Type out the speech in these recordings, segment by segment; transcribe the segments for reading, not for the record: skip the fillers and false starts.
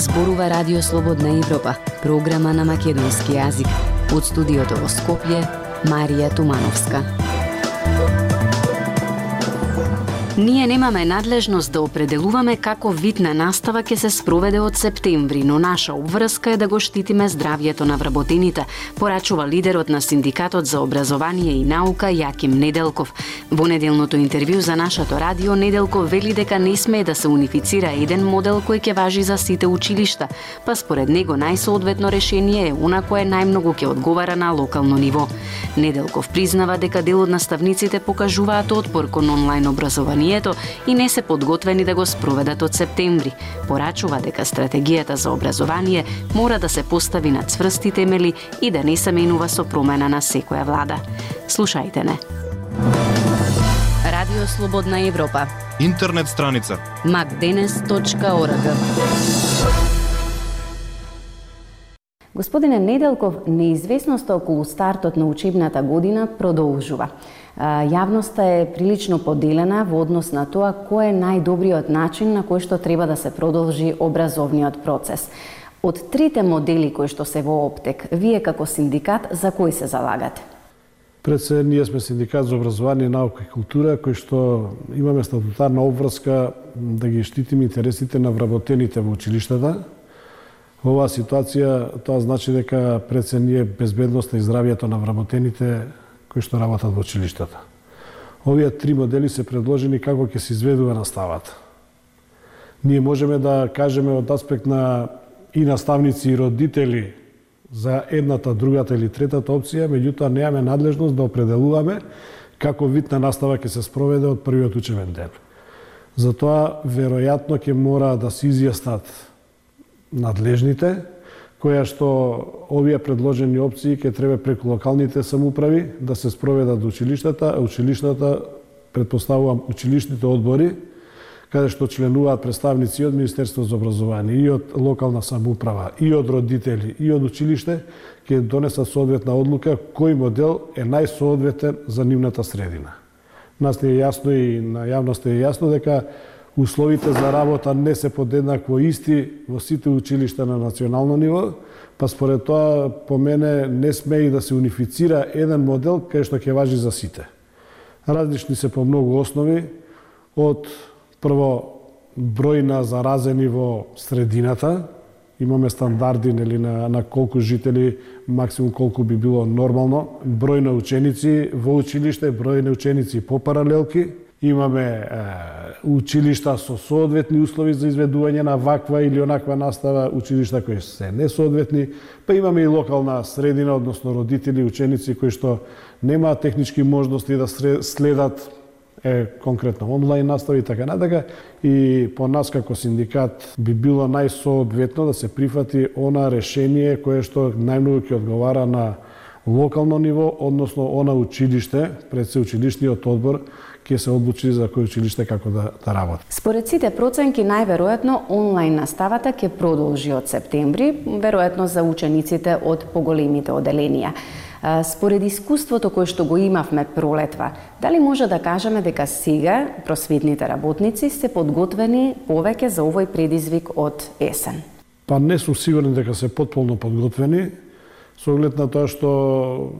Зборува Радио Слободна Европа, програма на македонски јазик. Од студиото во Скопје, Марија Тумановска. Ние немаме надлежност да определуваме како вид на настава ќе се спроведе од септември, но наша обврска е да го штитиме здравјето на вработените, порачува лидерот на Синдикатот за образование и наука Јаким Неделков. Во неделното интервју за нашето радио Неделков вели дека не смее да се унифицира еден модел кој ќе важи за сите училишта, па според него најсоодветно решение е она кое најмногу ќе одговара на локално ниво. Неделков признава дека дел од наставниците покажуваат отпор кон онлайн образование и не се подготвени да го спроведат од септември. Порачува дека стратегијата за образование мора да се постави на цврсти темели и да не се менува со промена на секоја влада. Слушајте не. Радио Слободна Европа. Интернет страница macdenes.org. Господине Неделков, неизвестноста околу стартот на учебната година продолжува. Јавноста е прилично поделена во однос на тоа кој е најдобриот начин на кој што треба да се продолжи образовниот процес. Од трите модели кои што се во оптек, вие како синдикат за кој се залагате? Пред се, ние сме синдикат за образование, наука и култура, кој што имаме статутарна обврска да ги штитиме интересите на вработените во училиштата. Во оваа ситуација тоа значи дека пред се ние безбедноста и здравјето на вработените кои што работат во училиштата. Овие три модели се предложени како ќе се изведува наставата. Ние можеме да кажеме од аспект на и наставници и родители за едната, другата или третата опција, меѓутоа немаме надлежност да определуваме како вид на настава ќе се спроведе од првиот учебен ден. Затоа веројатно ќе мора да се изјаснат надлежните, која што овие предложени опции ќе треба преку локалните самоуправи да се спроведат до училиштата, а училиштата, предпоставувам, училишните одбори, каде што членуваат представници од Министерство за образование, и од локална самоуправа, и од родители, и од училиште, ќе донесат соодветна одлука кој модел е најсоодветен за нивната средина. Нас не е јасно и на јавноста е јасно дека условите за работа не се подеднакво исти во сите училишта на национално ниво, па според тоа по мене не смее да се унифицира еден модел кај што ќе важи за сите. Различни се по многу основи, од прво број на заразени во средината, имаме стандарди нели на колку жители, максимум колку би било нормално, број на ученици во училиште, број на ученици по паралелки, имаме училишта со соодветни услови за изведување на ваква или онаква настава, училишта кои се несоодветни, па имаме и локална средина, односно родители и ученици кои што немаат технички можности да следат конкретно онлайн настава и така натака. И по нас како синдикат би било најсоодветно да се прифати она решение кое што најмногу ќе одговара на локално ниво, односно она училиште, пред се училишниот одбор ќе се одлучи за кој училиште како да работи. Според сите проценки, најверојатно онлайн наставата ќе продолжи од септември, веројатно за учениците од поголемите оделенија. Според искуството кое што го имавме пролетва, дали може да кажеме дека сега просветните работници се подготвени повеќе за овој предизвик од есен? Па не сум сигурен дека се потполно подготвени, со оглед на тоа што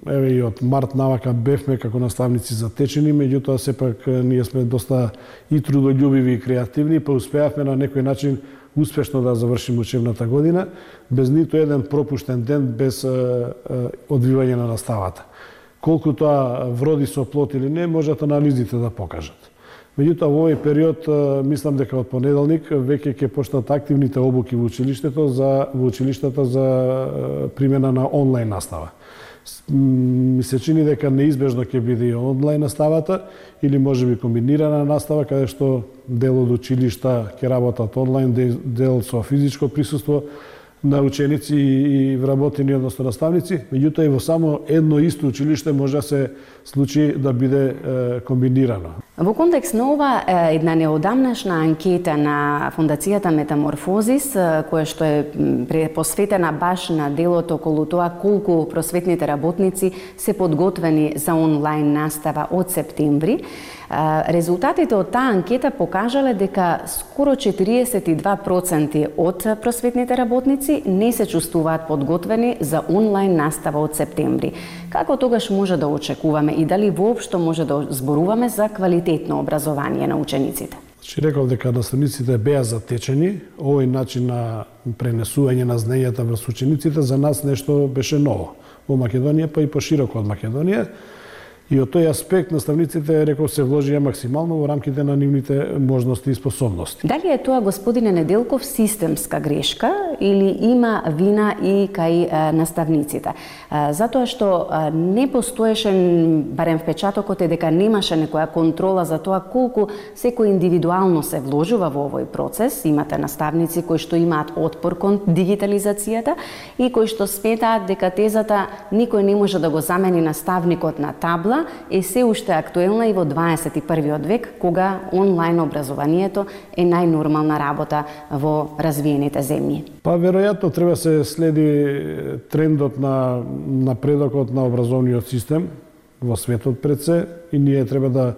еве и од март навака бевме како наставници затечени, меѓутоа сепак ние сме доста и трудолюбиви и креативни, па успеавме на некој начин успешно да завршиме учебната година без ниту еден пропуштен ден без одвивање на наставата. Колку тоа вроди со плод или не, можат анализите да покажат. Меѓутоа во овој период мислам дека од понеделник веќе ќе почнат активните обуки во училиштата за примена на онлайн настава. Ми се чини дека неизбежно ќе биде и онлайн наставата или можеби комбинирана настава каде што дел од училишта ќе работат онлайн, дел со физичко присуство. на ученици и вработени, односно наставници, меѓутоа и во само едно исто училиште може да се случи да биде комбинирано. Во контекст на ова, една неодамнашна анкета на Фондацијата Метаморфозис, која што е посветена баш на делот околу тоа колку просветните работници се подготвени за онлайн настава од септември, резултатите од таа анкета покажале дека скоро 42% од просветните работници не се чувствуваат подготвени за онлайн настава од септември. Како тогаш може да очекуваме и дали воопшто може да зборуваме за квалитетно образование на учениците? Реков дека наставниците беа затечени, овој начин на пренесување на знаењата врз учениците за нас нешто беше ново во Македонија, па и пошироко од Македонија. И од тој аспект наставниците, реков, се вложија максимално во рамките на нивните можности и способности. Дали е тоа, господине Неделков, системска грешка или има вина и кај наставниците? Затоа што не постоеше, барем впечатокот е дека немаше некоја контрола за тоа колку секој индивидуално се вложува во овој процес. Имате наставници кои што имаат отпор кон дигитализацијата и кои што сметаат дека тезата никој не може да го замени наставникот на табла е се уште актуелна и во 21. век, кога онлайн образованието е најнормална работа во развиените земји. Па веројатно треба се следи трендот на напредокот на образовниот систем во светот пред се и ние треба да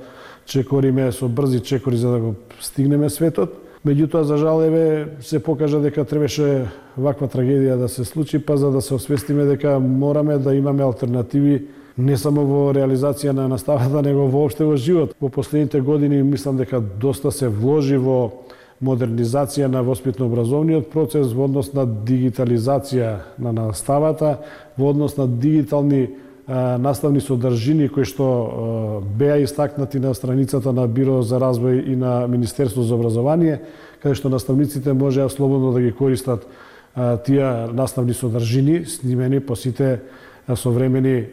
чекориме со брзи чекори за да го стигнеме светот. Меѓутоа, за жал, се покажа дека требаше ваква трагедија да се случи, па за да се освестиме дека мораме да имаме алтернативи не само во реализација на наставата, него воопште во живот. Во последните години мислам дека доста се вложи во модернизација на воспитно-образовниот процес, во однос на дигитализација на наставата, во однос на дигитални наставни содржини кои што беа истакнати на страницата на Биро за развој и на Министерство за образование, каде што наставниците можеа слободно да ги користат тие наставни содржини, снимени по сите современи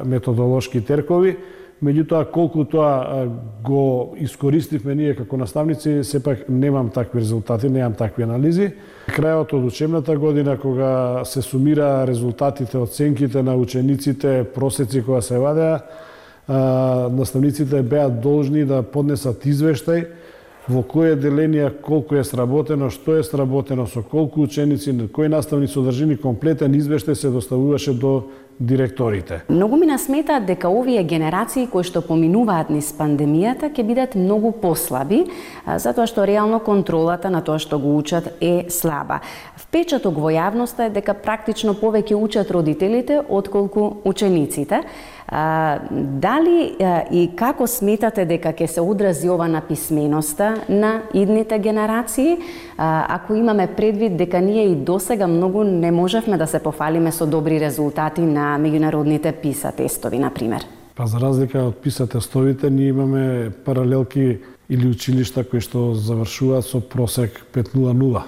методолошки теркови. Меѓутоа, колку тоа го искористивме ние како наставници, сепак немам такви резултати, немам такви анализи. Крајот од учебната година, кога се сумира резултатите, оценките на учениците, просеци која се вадеа, наставниците беа должни да поднесат извештај во кои деленија колку е сработено, што е сработено, со колку ученици, кои наставни содржини, комплетен извештај се доставуваше до директорите. Многу ми насметаат дека овие генерации кои што поминуваат низ пандемијата ќе бидат многу послаби, затоа што реално контролата на тоа што го учат е слаба. Впечаток во јавноста е дека практично повеќе учат родителите отколку учениците. Дали и како сметате дека ќе се одрази ова на писменоста на идните генерации, ако имаме предвид дека ние и досега многу не можевме да се пофалиме со добри резултати на меѓународните PISA тестови, например? Па за разлика од PISA тестовите, ние имаме паралелки или училишта кои што завршуваат со просек 5.00.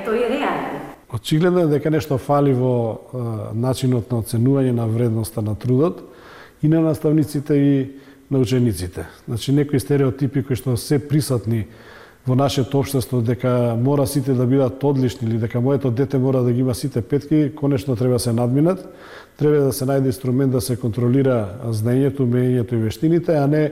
Тоа е реално. Очигледно е дека нешто фали во начинот на оценување на вредноста на трудот и на наставниците и на учениците. Значи, некои стереотипи кои што се присутни во нашето општество, дека мора сите да бидат одлични или дека моето дете мора да ги има сите петки, конечно треба се надминат. Треба да се најде инструмент да се контролира знаењето, умењето и вештините, а не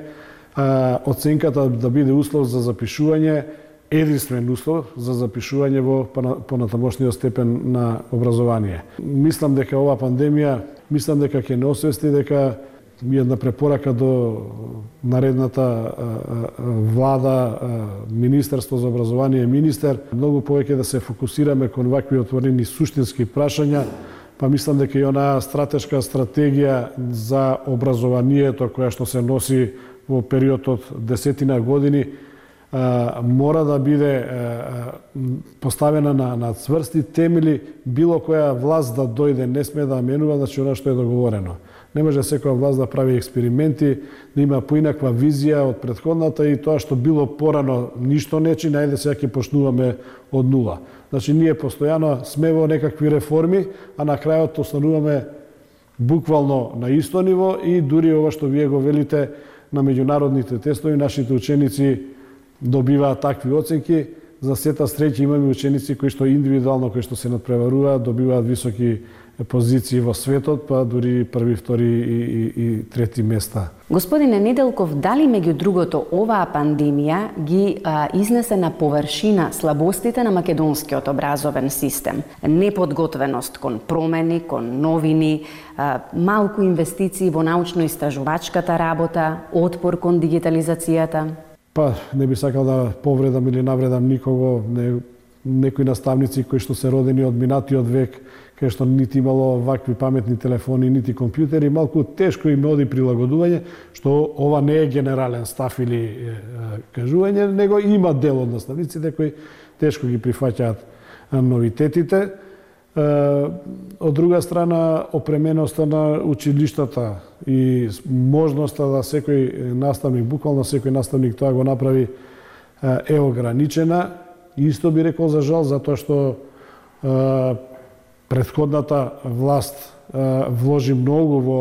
оценката да биде услов за запишување, единствен услов за запишување во понатамошниот степен на образование. Мислам дека ова пандемија, ќе не освести дека една препорака до наредната влада, Министерство за образование, министер, многу повеќе да се фокусираме кон вакви отворени суштински прашања, па мислам дека и онаа стратешка стратегија за образованието која што се носи во период од 10 години мора да биде поставена на цврсти темели. Било која власт да дојде не сме да менува, значи она што е договорено. Не може секоја власт да прави експерименти, да има поинаква визија од претходната и тоа што било порано ништо не чи, најде сега ќе почнуваме од нула. Значи ние постојано сме во некакви реформи, а на крајот остануваме буквално на исто ниво и дури ова што вие го велите на меѓународните тестови, нашите ученици добиваат такви оценки, за сета среќа имаме ученици кои што индивидуално, кои што се надпреваруваат, добиваат високи позиции во светот, па дури први, втори и трети места. Господине Неделков, дали меѓу другото оваа пандемија ги изнесе на површина слабостите на македонскиот образовен систем? Неподготвеност кон промени, кон новини, малку инвестиции во научно-истражувачката работа, отпор кон дигитализацијата? Па, не би сакал да повредам или навредам никого, некои наставници кои што се родени од минатиот век, кај што нити имало вакви паметни телефони, нити компјутери, малку тешко им оди прилагодување, што ова не е генерален став или кажување, него има дел од наставниците кои тешко ги прифаќаат новитетите. Од друга страна, опременоста на училиштата и можноста да секој наставник, буквално секој наставник тоа го направи, е ограничена. Исто би рекол за жал, затоа што претходната власт вложи многу во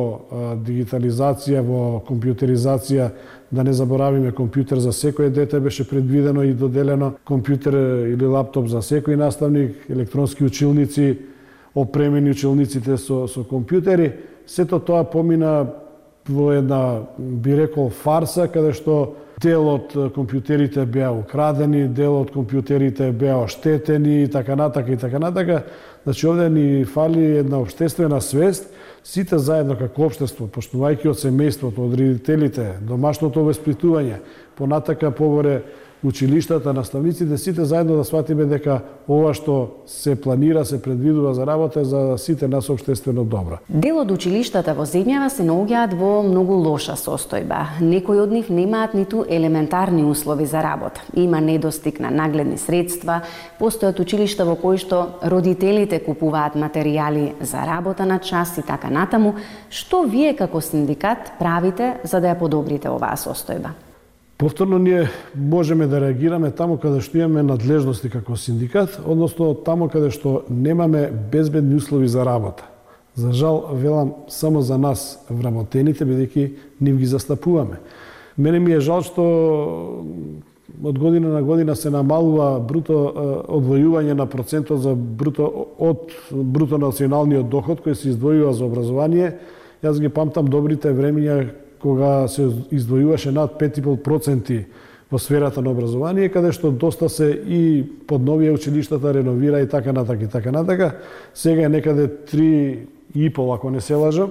дигитализација, во компјутеризација. Да не заборавиме, компјутер за секој дете беше предвидено и доделено, компјутер или лаптоп за секој наставник, електронски училници, опремени училниците со компјутери. Сето тоа помина во една, би рекол, фарса, каде што дел од компјутерите беа украдени, дел од компјутерите беа оштетени и така натака и така натака. Значи, овде ни фали една општествена свест, сите заедно како општество, почнувајќи од семејството, од родителите, домашното воспитување, понатака погоре училиштата, наставниците, сите заедно да сватиме дека ова што се планира, се предвидува за работа за сите нас општествено добро. Дел од училиштата во земјава се наоѓаат во многу лоша состојба. Некои од нив немаат ниту елементарни услови за работа. Има недостиг на нагледни средства, постојат училишта во кои што родителите купуваат материјали за работа на час и така натаму. Што вие како синдикат правите за да ја подобрите оваа состојба? Повторно ние можеме да реагираме таму каде што имаме надлежности како синдикат, односно таму каде што немаме безбедни услови за работа. За жал, велам само за нас вработените, бидејќи нив ги застапуваме. Мене ми е жал што од година на година се намалува одвојување на процентот за бруто националниот доход кој се издвојува за образование. Јас ги памтам добрите времиња кога се издвојуваше над 5,5% во сферата на образование, каде што доста се и подновија училиштата, реновира и така натака и така натака. Сега е некаде 3,5, ако не се лажам.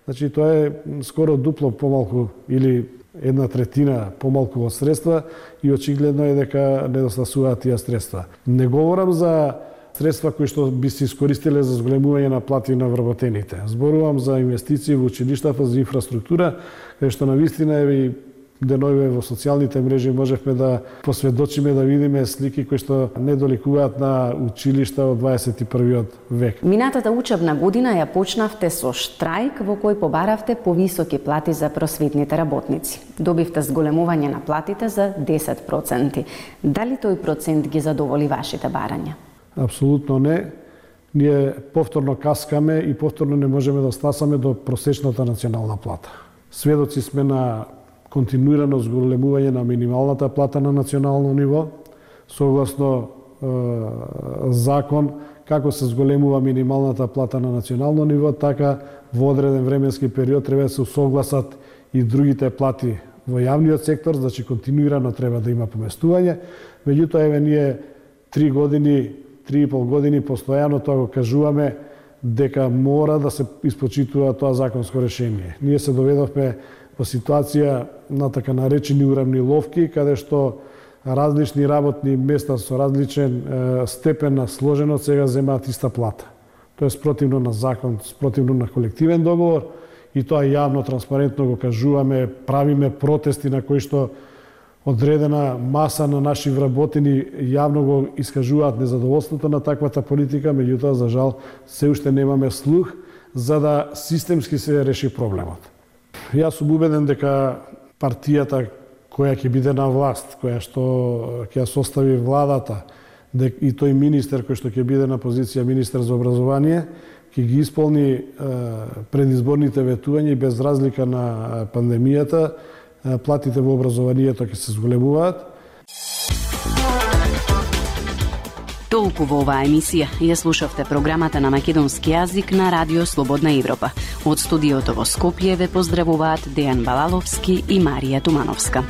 Значи, тоа е скоро дупло помалку или 1/3 помалку од средства и очигледно е дека недостасуваат тие средства. Не говорам за средства кои што би се искористиле за зголемување на плати на вработените. Зборувам за инвестиции во училиштата, за инфраструктура, каде што навистина и денови во социјалните мрежи можевме да посведочиме, да видиме слики кои што не доликуваат на училишта од 21. век. Минатата учебна година ја почнавте со штрајк во кој побаравте повисоки плати за просветните работници. Добивте зголемување на платите за 10%. Дали тој процент ги задоволи вашите барања? Апсолутно не. Ние повторно каскаме и повторно не можеме да стасаме до просечната национална плата. Сведоци сме на континуирано зголемување на минималната плата на национално ниво, согласно закон, како се зголемува минималната плата на национално ниво, така во одреден временски период треба да се усогласат и другите плати во јавниот сектор, значи континуирано треба да има поместување. Меѓутоа, еве ние 3,5 години постојано тоа го кажуваме дека мора да се испочитува тоа законско решение. Ние се доведовме во ситуација на така наречени уравниловки, каде што различни работни места со различен степен на сложеност сега земаат иста плата. Тоа е спротивно на закон, спротивно на колективен договор и тоа јавно, транспарентно го кажуваме, правиме протести на кои што одредена маса на наши вработени јавно го искажуваат незадоволството на таквата политика, меѓутоа, за жал, се уште немаме слух за да системски се реши проблемот. Јас сум убеден дека партијата која ќе биде на власт, која што ќе ја состави владата, и тој министер кој што ќе биде на позиција министер за образование, ќе ги исполни предизборните ветувања и без разлика на пандемијата, платите во образованието ќе се зголемуваат. Толку во оваа емисија. Ја слушавте програмата на македонски јазик на Радио Слободна Европа. Од студиото во Скопје ве поздравуваат Дејан Балаловски и Марија Тумановска.